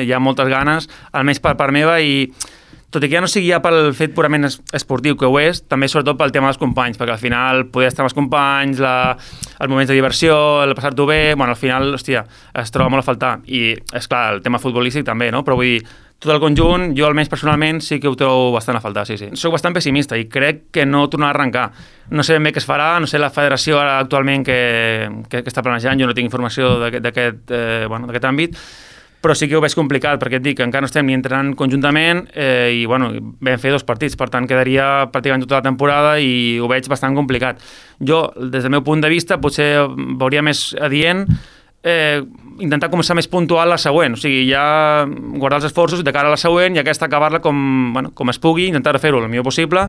hi ha moltes ganes, almenys per part meva, i tot i que ja no sigui ja pel fet purament esportiu, que ho és, també sobretot pel tema dels companys, perquè al final poder estar amb els companys, els moments de diversió, el passar-t'ho bé, bueno, al final, hòstia, es troba molt a faltar. I, és clar, el tema futbolístic també, no? Però vull dir, tot el conjunt, jo almenys personalment sí que ho trobo bastant a faltar, sí. Soc bastant pessimista i crec que no tornarà a arrencar. No sé ben bé què es farà, no sé la federació ara actualment que està planejant, jo no tinc informació d'aquest àmbit, però sí que ho veig complicat, perquè et dic que encara no estem ni entrenant conjuntament i vam fer 2 partits, per tant quedaria pràcticament tota la temporada i ho veig bastant complicat. Jo, des del meu punt de vista, potser veuria més adient intentar començar més puntual la següent, o sigui, ja guardar els esforços de cara a la següent i aquesta acabar-la com es pugui, intentar fer-ho el millor possible